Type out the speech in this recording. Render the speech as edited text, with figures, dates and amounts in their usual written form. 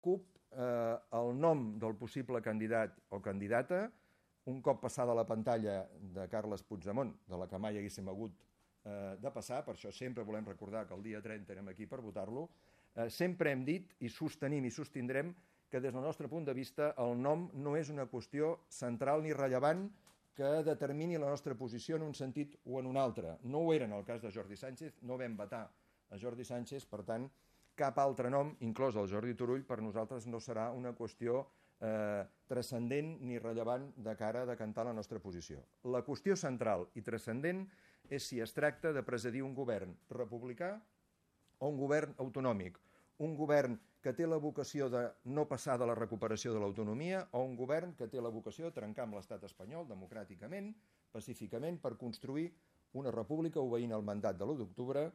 CUP el nom del possible candidat o candidata, un cop passada la pantalla de Carles Puigdemont, de la que mai haguéssim hagut de passar, per això sempre volem recordar que el dia 30 érem aquí per votar-lo, sempre hem dit i sostenim i sostindrem que des del nostre punt de vista el nom no és una qüestió central ni rellevant que determini la nostra posició en un sentit o en un altre. No ho era en el cas de Jordi Sánchez, no vam vetar a Jordi Sánchez, per tant, cap altre nom, inclòs el Jordi Turull, per nosaltres no serà una qüestió transcendent ni rellevant de cara a decantar la nostra posició. La qüestió central i transcendent és si es tracta de presidir un govern republicà o un govern autonòmic, un govern que té la vocació de no passar de la recuperació de l'autonomia o un govern que té la vocació de trencar amb l'estat espanyol democràticament, pacíficament, per construir una república obeint el mandat de l'1 d'octubre